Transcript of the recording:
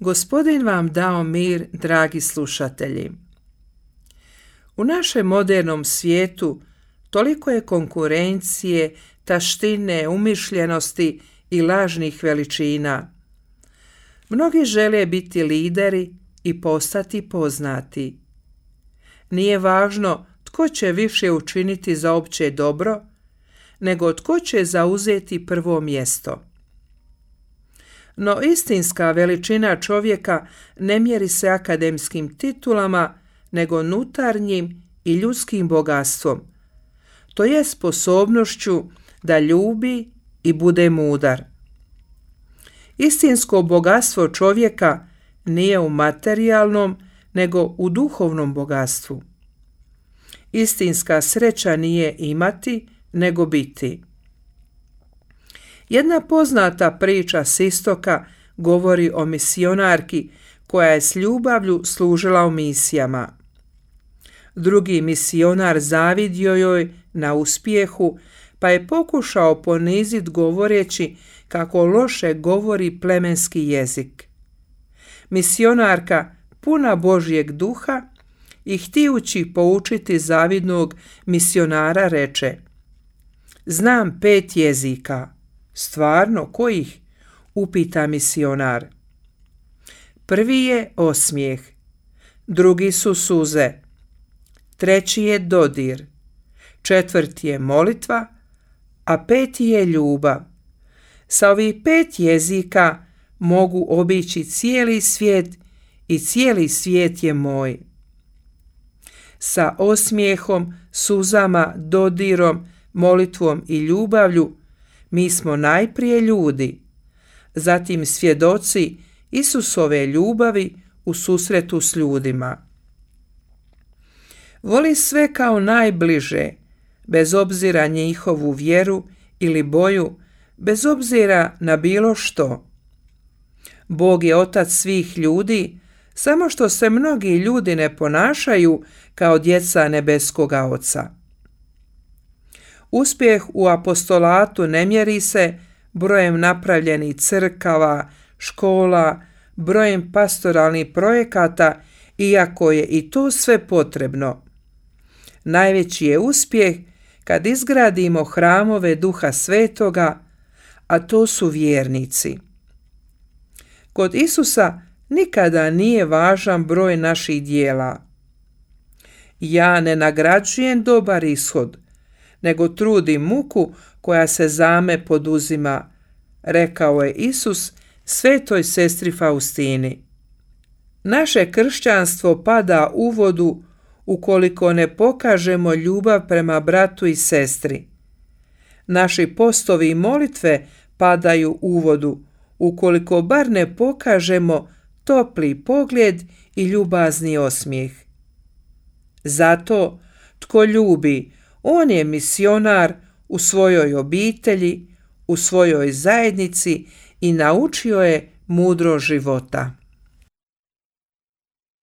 Gospodin vam dao mir, dragi slušatelji. U našem modernom svijetu toliko je konkurencije, taštine, umišljenosti i lažnih veličina. Mnogi žele biti lideri i postati poznati. Nije važno tko će više učiniti za opće dobro, nego tko će zauzeti prvo mjesto. No istinska veličina čovjeka ne mjeri se akademskim titulama, nego unutarnjim i ljudskim bogatstvom, to je sposobnošću da ljubi i bude mudar. Istinsko bogatstvo čovjeka nije u materijalnom, nego u duhovnom bogatstvu. Istinska sreća nije imati, nego biti. Jedna poznata priča s istoka govori o misionarki koja je s ljubavlju služila u misijama. Drugi misionar zavidio joj na uspjehu, pa je pokušao poniziti govoreći kako loše govori plemenski jezik. Misionarka, puna Božjeg duha i htijući poučiti zavidnog misionara, reče: "Znam 5 jezika." "Stvarno, kojih?" upita misionar. "Prvi je osmijeh, drugi su suze, treći je dodir, četvrti je molitva, a 5. je ljubav. Sa ovih 5 jezika mogu obići cijeli svijet i cijeli svijet je moj." Sa osmijehom, suzama, dodirom, molitvom i ljubavlju mi smo najprije ljudi, zatim svjedoci Isusove ljubavi u susretu s ljudima. Voli sve kao najbliže, bez obzira njihovu vjeru ili boju, bez obzira na bilo što. Bog je otac svih ljudi, samo što se mnogi ljudi ne ponašaju kao djeca nebeskoga Oca. Uspjeh u apostolatu ne mjeri se brojem napravljenih crkava, škola, brojem pastoralnih projekata, iako je i to sve potrebno. Najveći je uspjeh kad izgradimo hramove Duha Svetoga, a to su vjernici. Kod Isusa nikada nije važan broj naših djela. Ja ne nagrađujem dobar ishod, nego trudim muku koja se za me poduzima, rekao je Isus svetoj sestri Faustini. Naše kršćanstvo pada u vodu ukoliko ne pokažemo ljubav prema bratu i sestri. Naši postovi i molitve padaju u vodu ukoliko bar ne pokažemo topli pogled i ljubazni osmijeh. Zato tko ljubi, on je misionar u svojoj obitelji, u svojoj zajednici i naučio je mudro života.